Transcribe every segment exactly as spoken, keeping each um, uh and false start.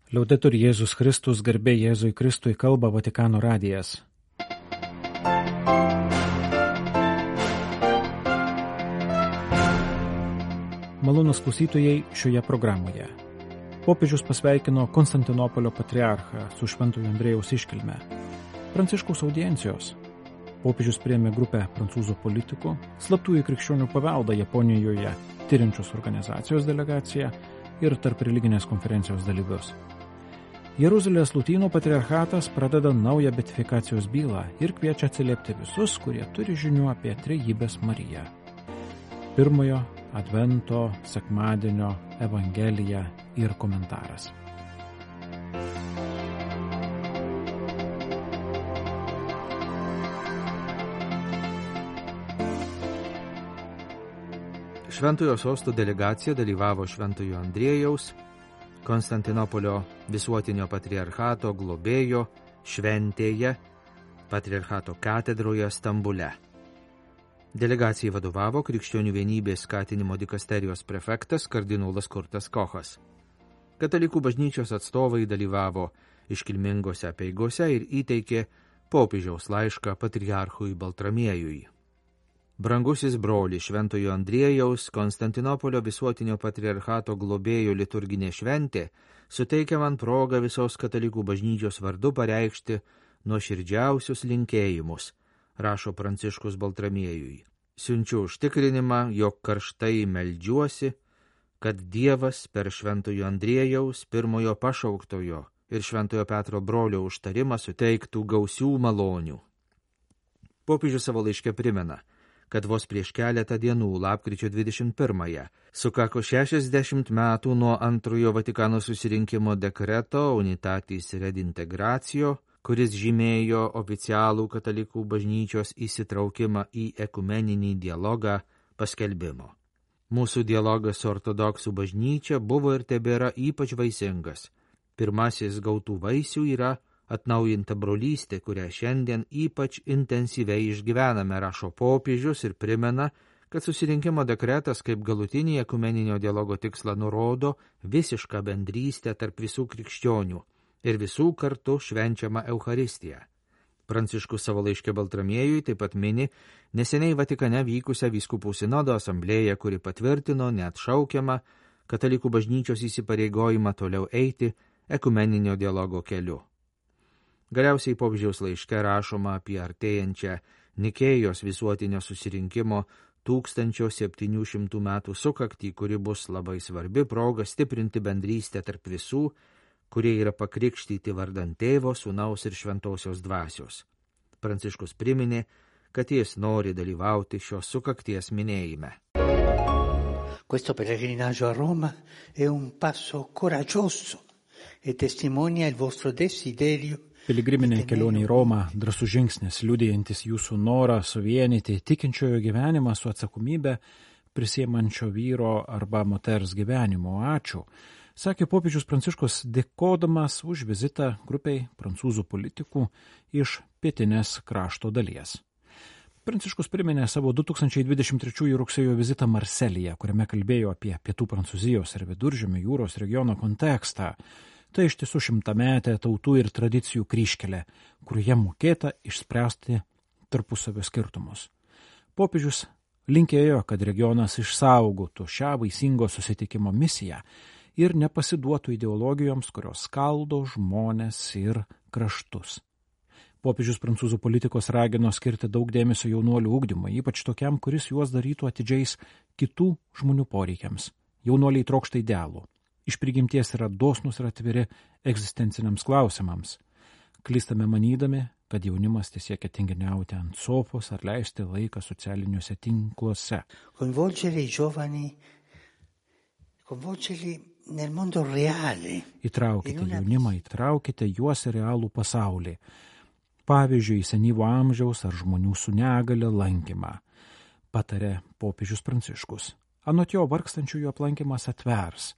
Liaudetur Jėzus Kristus, garbė Jėzui Kristui, kalba Vatikano radijas. Malonūs klausytojai šioje programoje. Popiežius pasveikino Konstantinopolio patriarchą su Šventojo Andriejaus iškilme. Pranciškaus audiencijos. Popiežius priėmė grupę prancūzų politikų, slaptųjų krikščionių paveldą Japonijoje tyrinčios organizacijos delegaciją ir tarp religinės konferencijos dalyvius. Jeruzalės Lotynų patriarchatas pradeda naują beatifikacijos bylą ir kviečia atsiliepti visus, kurie turi žinių apie Trejybės Mariją. Pirmojo Advento sekmadienio Evangelija ir komentaras. Šventojo sosto delegacija dalyvavo Šventojo Andriejaus, Konstantinopolio visuotinio patriarchato globėjo šventėje, patriarchato katedroje Stambule. Delegacijai vadovavo Krikščionių vienybės skatinimo dikasterijos prefektas kardinolas Kurtas Kochas. Katalikų bažnyčios atstovai dalyvavo iškilmingose apeigose ir įteikė popiežiaus laišką patriarchui Baltramiejui. Brangusis broli Šventojo Andriejaus, Konstantinopolio visuotinio patriarchato globėjo liturginė šventė suteikia man progą visos katalikų bažnyčios vardu pareikšti nuoširdžiausius linkėjimus, rašo Pranciškus Baltramiejui. Siunčiu užtikrinimą, jog karštai meldžiuosi, kad Dievas per Šventojo Andriejaus, pirmojo pašauktojo ir Šventojo Petro brolio užtarimą suteiktų gausių malonių. Popiežius savo laiške primena, kad vos prieš keletą dienų, lapkričio dvidešimt pirmąją, sukako šešiasdešimt metų nuo antrojo Vatikano susirinkimo dekreto Unitatis Redintegratio, kuris žymėjo oficialų katalikų bažnyčios įsitraukimą į ekumeninį dialogą paskelbimo. Mūsų dialogas su ortodoksų bažnyčia buvo ir tebėra ypač vaisingas. Pirmasis gautų vaisių yra atnaujinta brolystė, kurią šiandien ypač intensyviai išgyvename, rašo popiežius ir primena, kad susirinkimo dekretas kaip galutinį ekumeninio dialogo tikslą nurodo visišką bendrystę tarp visų krikščionių ir visų kartu švenčiamą Eucharistiją. Pranciškus savo laiške Baltramiejui taip pat mini neseniai Vatikane vykusią vyskupų sinodo asamblėją, kuri patvirtino neatšaukiamą katalikų bažnyčios įsipareigojimą toliau eiti ekumeninio dialogo keliu. Galiausiai popiežiaus laiške rašoma apie artėjančią Nikėjos visuotinio susirinkimo tūkstančio septynių šimtų metų sukaktį, kuri bus labai svarbi proga stiprinti bendrystę tarp visų, kurie yra pakrikštyti vardan Tėvo, Sūnaus ir Šventosios dvasios. Pranciškus priminė, kad jis nori dalyvauti šios sukakties minėjime. Questo pellegrinaggio a Roma è un passo coraggioso e testimonia il vostro desiderio. Piligriminė kelionė į Romą – drąsus žingsnis, liudijantis jūsų norą suvienyti tikinčiojo gyvenimą su atsakomybė prisiemančio vyro arba moters gyvenimo. Ačiū, sakė popiežius Pranciškus, dėkodamas už vizitą grupiai prancūzų politikų iš pietinės krašto dalies. Pranciškus priminė savo du tūkstančiai dvidešimt trečiųjų rugsėjo vizitą Marselyje, kuriame kalbėjo apie pietų Prancūzijos ir Viduržemio jūros regiono kontekstą. Tai iš tiesų šimtametė tautų ir tradicijų kryžkelė, kurioje mokėta išspręsti tarpusavio skirtumus. Popiežius linkėjo, kad regionas išsaugotų šią vaisingo susitikimo misiją ir nepasiduotų ideologijoms, kurios skaldo žmones ir kraštus. Popiežius prancūzų politikos ragino skirti daug dėmesio jaunuolių ugdymui, ypač tokiam, kuris juos darytų atidžiais kitų žmonių poreikiams. Jaunuoliai trokšta idealų. Iš prigimties yra dosnus ir atviri egzistenciniams klausimams. Klystame manydami, kad jaunimas siekia tinginiauti ant sofos ar leisti laiką socialiniuose tinkluose. Coinvolgere i giovani, coinvolgerli nel mondo reale. Įtraukite jaunimą, įtraukite juos į realų pasaulį. Pavyzdžiui, senyvo amžiaus ar žmonių su negale lankymą, patarė popiežius Pranciškus. Anot jo vargstančiųjų aplankymas atvers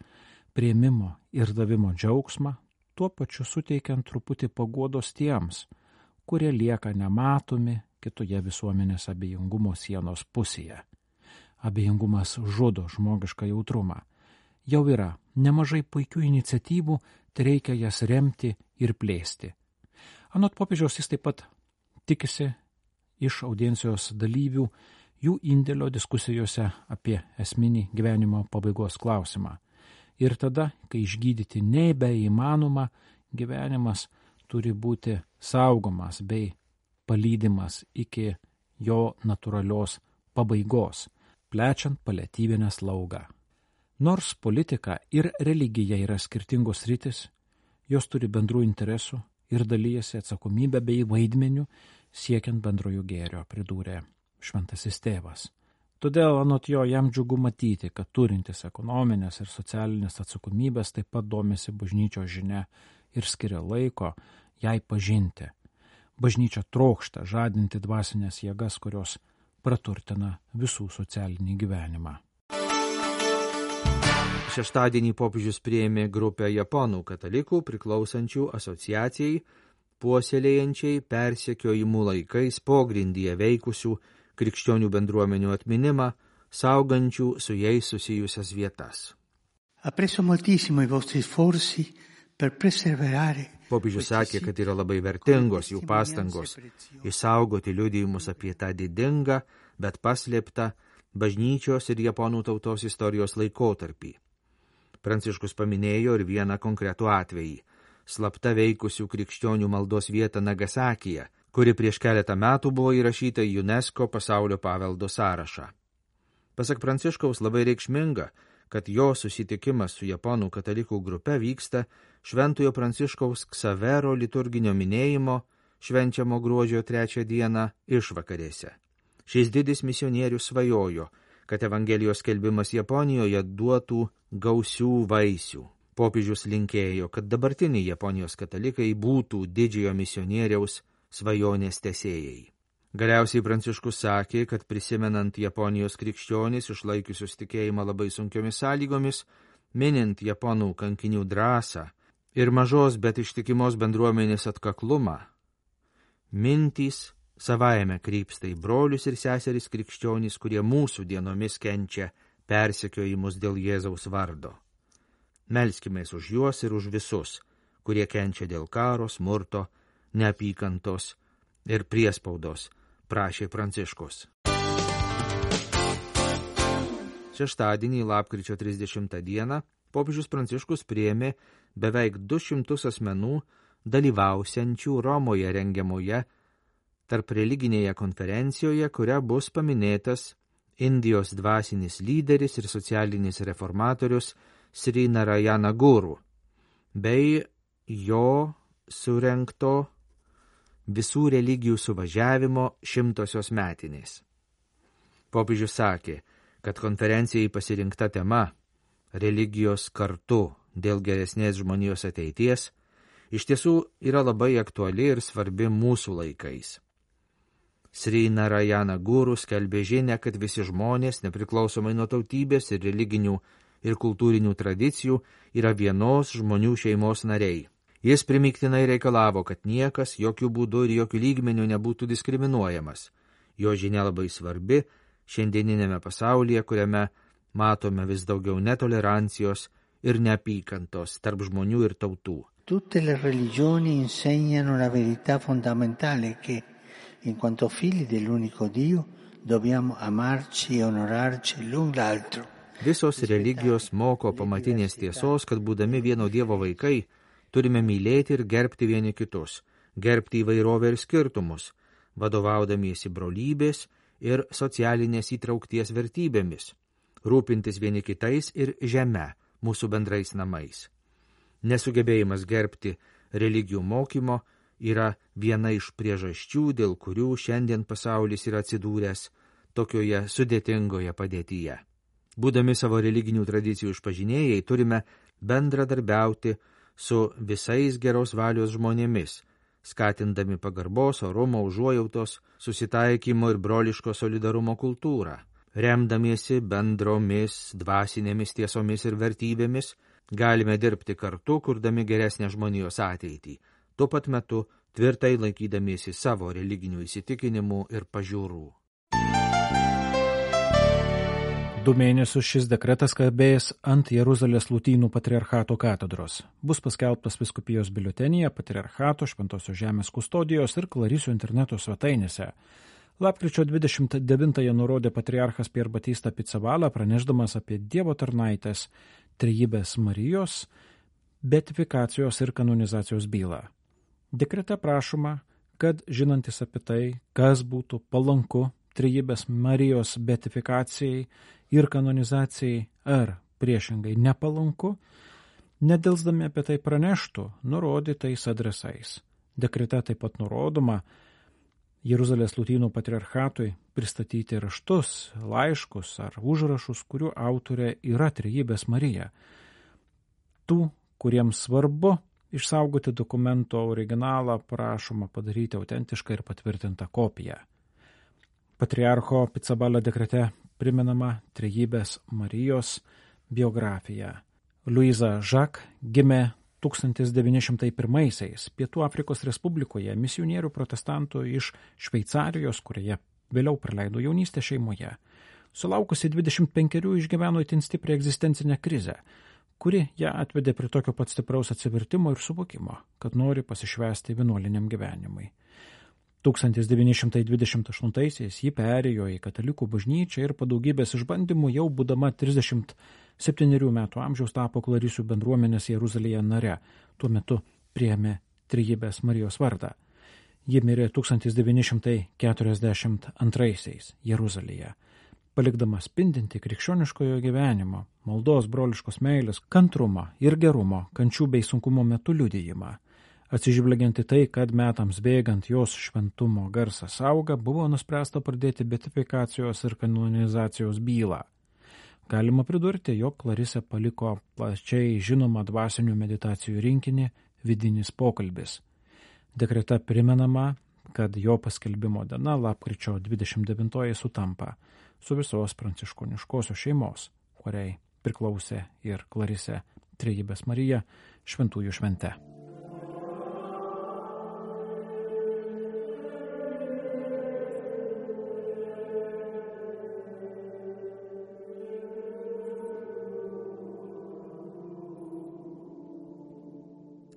priėmimo ir davimo džiaugsmą, tuo pačiu suteikiant truputį paguodos tiems, kurie lieka nematomi kitoje visuomenės abejingumo sienos pusėje. Abejingumas žudo žmogišką jautrumą. Jau yra nemažai puikių iniciatyvų, tai reikia jas remti ir plėsti. Anot popiežiaus jis taip pat tikisi iš audiencijos dalyvių jų indėlio diskusijose apie esminį gyvenimo pabaigos klausimą. Ir tada, kai išgydyti nebeįmanoma, gyvenimas turi būti saugomas bei palydimas iki jo natūralios pabaigos, plečiant paliatyvinę slaugą. Nors politika ir religija yra skirtingos sritis, jos turi bendrų interesų ir dalyjasi atsakomybę bei vaidmeniu siekiant bendrojo gėrio, pridūrė šventasis tėvas. Todėl anot jo jam džiugu matyti, kad turintis ekonominės ir socialinės atsakomybės taip pat domisi bažnyčios žinia ir skiria laiko jai pažinti. Bažnyčia trokšta žadinti dvasinės jėgas, kurios praturtina visų socialinį gyvenimą. Šeštadienį popiežius priėmė grupę japonų katalikų priklausančių asociacijai, puoselėjančiai persekiojimų laikais pogrindyje veikusių krikščionių bendruomenių atminimą, saugančių su jais susijusias vietas. Apprezzo moltissimo i vostri sforzi per preservare. Popiežius sakė, kad yra labai vertingos jų pastangos išsaugoti liudijimus apie tą didingą, bet paslėptą bažnyčios ir japonų tautos istorijos laikotarpį. Pranciškus paminėjo ir vieną konkretų atvejį – slapta veikusių krikščionių maldos vietą Nagasakyje, kuri prieš keletą metų buvo įrašyta į UNESCO pasaulio paveldo sąrašą. Pasak Pranciškaus labai reikšminga, kad jo susitikimas su japonų katalikų grupe vyksta Šventojo Pranciškaus Ksavero liturginio minėjimo švenčiamo gruodžio trečią dieną išvakarėse. Šis didis misionierius svajojo, kad Evangelijos skelbimas Japonijoje duotų gausių vaisių. Popiežius linkėjo, kad dabartiniai Japonijos katalikai būtų didžiojo misionieriaus svajonės tęsėjai. Galiausiai Pranciškus sakė, kad prisimenant Japonijos krikščionis išlaikiusius tikėjimą labai sunkiomis sąlygomis, minint japonų kankinių drąsą ir mažos, bet ištikimos bendruomenės atkaklumą, mintys savaime krypsta į brolius ir seseris krikščionys, kurie mūsų dienomis kenčia persekiojimus dėl Jėzaus vardo. Melskimės už juos ir už visus, kurie kenčia dėl karo, smurto, neapykantos ir priespaudos, prašė Pranciškus. Šeštadienį, lapkričio trisdešimtą dieną, popiežius Pranciškus priėmė beveik du šimtus asmenų dalyvausiančių Romoje rengiamoje tarp religinėje konferencijoje, kuria bus paminėtas Indijos dvasinis lyderis ir socialinis reformatorius Sri Narayana Guru, bei jo surengto visų religijų suvažiavimo šimtosios metinės. Popiežius sakė, kad konferencijai pasirinkta tema religijos kartu dėl geresnės žmonijos ateities iš tiesų yra labai aktuali ir svarbi mūsų laikais. Sri Narayana Guru skelbė žinią, kad visi žmonės, nepriklausomai nuo tautybės ir religinių ir kultūrinių tradicijų, yra vienos žmonių šeimos nariai. Jis primiktinai reikalavo, kad niekas jokių būdų ir jokių lygmenių nebūtų diskriminuojamas. Jo žinia labai svarbi šiandieninėme pasaulyje, kuriame matome vis daugiau netolerancijos ir neapykantos tarp žmonių ir tautų. Tutte le religioni insegnano la verità fondamentale che, in quanto figli dell'unico Dio, dobbiamo amarci e onorarci l'un l'altro. Visos religijos moko pamatinės tiesos, kad būdami vieno Dievo vaikai, turime mylėti ir gerbti vieni kitus, gerbti įvairovę ir skirtumus, vadovaudamiesi brolybės ir socialinės įtraukties vertybėmis, rūpintis vieni kitais ir žeme, mūsų bendrais namais. Nesugebėjimas gerbti religijų mokymo yra viena iš priežasčių, dėl kurių šiandien pasaulis yra atsidūręs tokioje sudėtingoje padėtyje. Būdami savo religinių tradicijų išpažinėjai, turime bendradarbiauti su visais geros valios žmonėmis, skatindami pagarbos, orumo, užuojautos, susitaikymo ir broliško solidarumo kultūrą. Remdamiesi bendromis dvasinėmis tiesomis ir vertybėmis, galime dirbti kartu, kurdami geresnę žmonijos ateitį, tuo pat metu tvirtai laikydamiesi savo religinių įsitikinimų ir pažiūrų. Du mėnesius šis dekretas kabės ant Jeruzalės Lotynų patriarchato katedros. Bus paskelbtas vyskupijos biuletenyje, patriarchato, Šventosios žemės kustodijos ir Clarisių interneto svetainėse. Lapkričio dvidešimt devintąją nurodė patriarchas Pier Batista Pizzaballa, pranešdamas apie Dievo tarnaitės Trejybės Marijos beatifikacijos ir kanonizacijos bylą. Dekrete prašoma, kad žinantis apie tai, kas būtų palanku Trejybės Marijos beatifikacijai ir kanonizacijai ar priešingai nepalanku, nedelsdami apie tai praneštų nurodytais adresais. Dekrete taip pat nurodoma Jeruzalės Lotynų patriarchatui pristatyti raštus, laiškus ar užrašus, kurių autorė yra Trejybės Marija. Tų, kuriems svarbu išsaugoti dokumento originalą, prašoma padaryti autentišką ir patvirtintą kopiją. Patriarcho Pizzaballa dekrete primenama Trejybės Marijos biografija. Luiza Žak gimė tūkstantis devyni šimtai pirmaisiais Pietų Afrikos Respublikoje misionierių protestantų iš Šveicarijos, kurioje vėliau praleido jaunystę šeimoje. Sulaukusi dvidešimt penkerių išgyveno itin stiprią egzistencinę krizę, kuri ją atvedė prie tokio pat stipraus atsivertimo ir suvokimo, kad nori pasišvęsti vienuoliniam gyvenimui. tūkstantis devyni šimtai dvidešimt aštuntaisiais ji perėjo į katalikų bažnyčią ir po daugybės išbandymų jau būdama trisdešimt septynerių metų amžiaus tapo Clarisių bendruomenės Jeruzalėje nare. Tuo metu priėmė Trejybės Marijos vardą. Ji mirė tūkstantis devyni šimtai keturiasdešimt antraisiais Jeruzalėje, palikdama spindinti krikščioniškojo gyvenimo, maldos, broliškos meilės, kantrumo ir gerumo, kančių bei sunkumo metu liudijimą. Atsižvelgiant į tai, kad metams bėgant jos šventumo garsas auga, buvo nuspręsta pradėti beatifikacijos ir kanonizacijos bylą. Galima pridurti, jog Klarisė paliko plačiai žinomą dvasinių meditacijų rinkinį Vidinis pokalbis. Dekrete primenama, kad jo paskelbimo diena lapkričio dvidešimt devintoji sutampa su visos pranciškoniškosios šeimos, kuriai priklausė ir Klarisė Trejybės Marija šventųjų švente.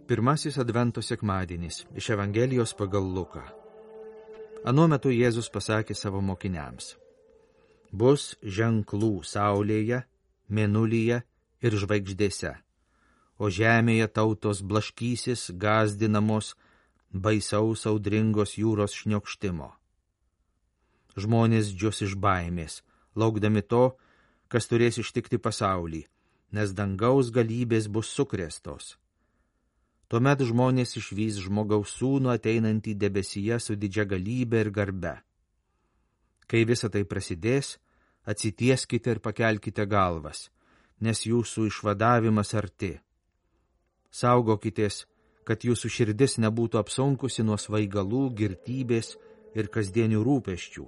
Pirmasis Advento sekmadienis iš Evangelijos pagal Luką. Anuo metu Jėzus pasakė savo mokiniams: bus ženklų saulėje, mėnulyje ir žvaigždėse, o žemėje tautos blaškysis, gąsdinamos baisaus audringos jūros šniokštimo. Žmonės džius iš baimės, laukdami to, kas turės ištikti pasaulį, nes dangaus galybės bus sukrėstos. Tuomet žmonės išvys žmogaus sūnų ateinantį debesyje su didžia galybe ir garbe. Kai visa tai prasidės, atsitieskite ir pakelkite galvas, nes jūsų išvadavimas arti. Saugokitės, kad jūsų širdis nebūtų apsunkusi nuo svaigalų, girtybės ir kasdienių rūpesčių,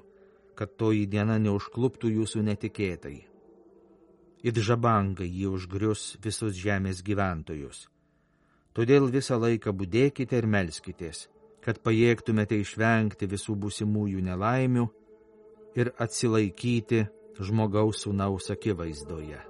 kad toji diena neužkluptų jūsų netikėtai. It žabangai jį užgrius visus žemės gyventojus. Todėl visą laiką budėkite ir melskitės, kad pajėgtumėte išvengti visų būsimųjų nelaimių ir atsilaikyti žmogaus sūnaus akivaizdoje.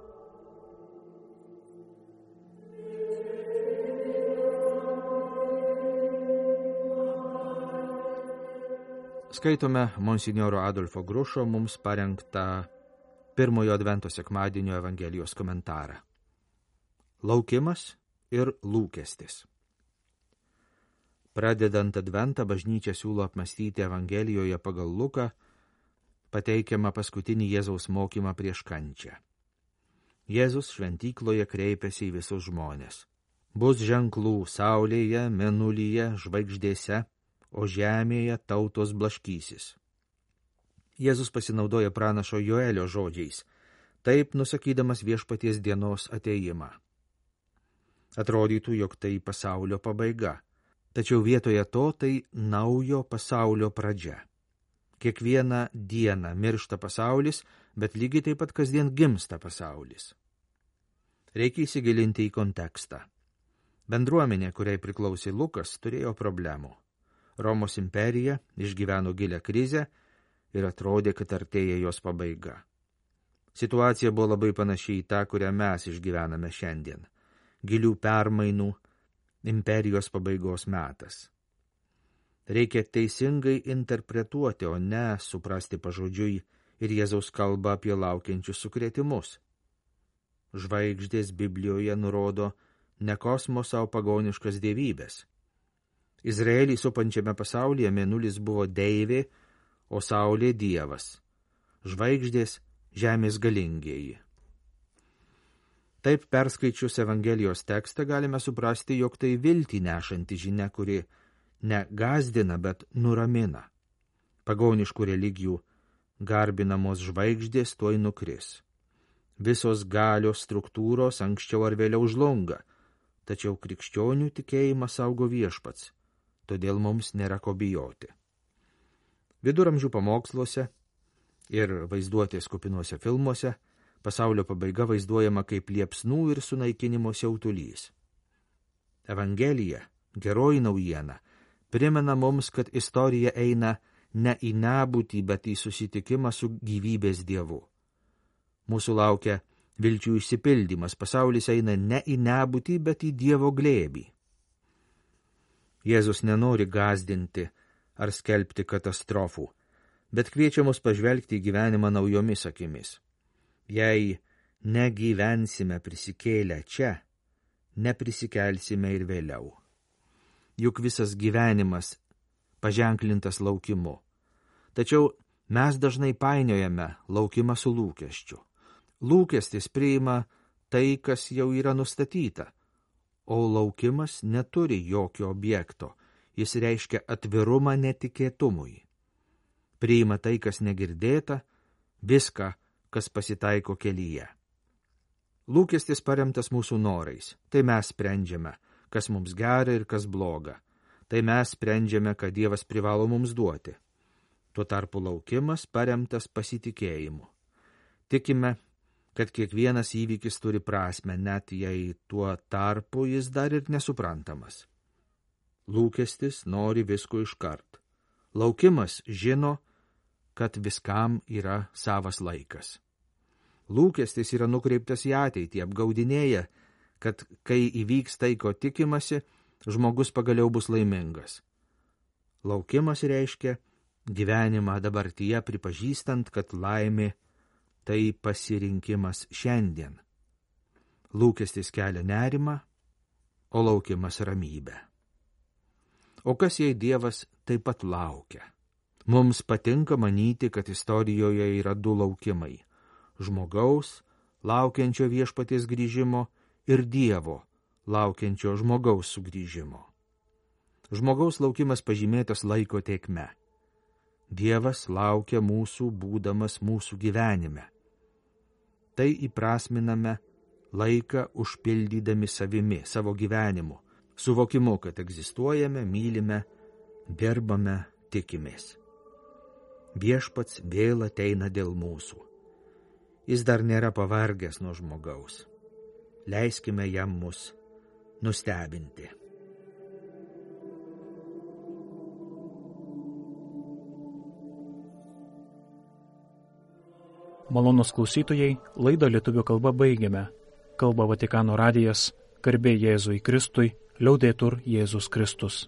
Skaitome monsinjoro Adolfo Grušo mums parengtą pirmojo Advento sekmadienio Evangelijos komentarą. Laukimas ir lūkestis. Pradedant Adventą, bažnyčia siūlo apmąstyti Evangelijoje pagal Luką pateikiamą paskutinį Jėzaus mokymą prieš kančią. Jėzus šventykloje kreipiasi į visus žmones. Bus ženklų saulėje, mėnulyje, žvaigždėse, o žemėje tautos blaškysis. Jėzus pasinaudoja pranašo Joelio žodžiais, taip nusakydamas viešpaties dienos atėjimą. Atrodytų, jog tai pasaulio pabaiga, tačiau vietoje to tai naujo pasaulio pradžia. Kiekvieną dieną miršta pasaulis, bet lygiai taip pat kasdien gimsta pasaulis. Reikia įsigilinti į kontekstą. Bendruomenė, kuriai priklausė Lukas, turėjo problemų. Romos imperija išgyveno gilią krizę ir atrodė, kad artėja jos pabaiga. Situacija buvo labai panašiai į tą, kurią mes išgyvename šiandien. Gilių permainų, imperijos pabaigos metas. Reikia teisingai interpretuoti, o ne suprasti pažodžiui ir Jėzaus kalbą apie laukiančius sukrėtimus. Žvaigždės Biblijoje nurodo ne kosmoso, o pagoniškas dievybės. Izraelį supančiame pasaulyje mėnulis buvo deivė, o saulė dievas. Žvaigždės žemės galingieji. Taip perskaičius Evangelijos tekstą galime suprasti, jog tai viltį nešanti žinia, kuri ne gazdina, bet nuramina. Pagoniškų religijų garbinamos žvaigždės tuoj nukris. Visos galios struktūros anksčiau ar vėliau žlunga, tačiau krikščionių tikėjimą saugo Viešpats, todėl mums nėra ko bijoti. Viduramžių pamoksluose ir vaizduotės kupinuose filmuose pasaulio pabaiga vaizduojama kaip liepsnų ir sunaikinimo siautulys. Evangelija, geroji naujiena, primena mums, kad istorija eina ne į nebūtį, bet į susitikimą su gyvybės Dievu. Mūsų laukia vilčių išsipildymas, pasaulis eina ne į nebūtį, bet į Dievo glėbį. Jėzus nenori gąsdinti ar skelbti katastrofų, bet kviečia mus pažvelgti į gyvenimą naujomis akimis. Jei negyvensime prisikėlę čia, neprisikelsime ir vėliau. Juk visas gyvenimas paženklintas laukimu. Tačiau mes dažnai painiojame laukimą su lūkesčiu. Lūkestis priima tai, kas jau yra nustatyta, o laukimas neturi jokio objekto, jis reiškia atvirumą netikėtumui. Priima tai, kas negirdėta, viską, kas pasitaiko kelyje. Lūkestis paremtas mūsų norais, tai mes sprendžiame, kas mums gera ir kas bloga. Tai mes sprendžiame, ką Dievas privalo mums duoti. Tuo tarpu laukimas paremtas pasitikėjimu. Tikime, kad kiekvienas įvykis turi prasmę, net jei tuo tarpu jis dar ir nesuprantamas. Lūkestis nori visko iškart. Laukimas žino, kad viskam yra savas laikas. Lūkestis yra nukreiptas į ateitį, apgaudinėja, kad kai įvyks tai, ko tikimasi, žmogus pagaliau bus laimingas. Laukimas reiškia gyvenimą dabartyje, pripažįstant, kad laimė tai pasirinkimas šiandien. Lūkestis kelia nerimą, o laukimas ramybę. O kas jei Dievas taip pat laukia? Mums patinka manyti, kad istorijoje yra du laukimai – žmogaus, laukiančio Viešpaties grįžimo, ir Dievo, laukiančio žmogaus sugrįžimo. Žmogaus laukimas pažymėtas laiko tėkme. Dievas laukia mūsų, būdamas mūsų gyvenime. Tai įprasminame laiką užpildydami savimi, savo gyvenimu, suvokimu, kad egzistuojame, mylime, gerbame, tikimės. Viešpats vėl ateina dėl mūsų. Jis dar nėra pavargęs nuo žmogaus. Leiskime jam mus nustebinti. Malonūs klausytojai, laidą lietuvių kalba baigiame. Kalba Vatikano radijas, garbė Jėzui Kristui, liaudetur Jėzus Kristus.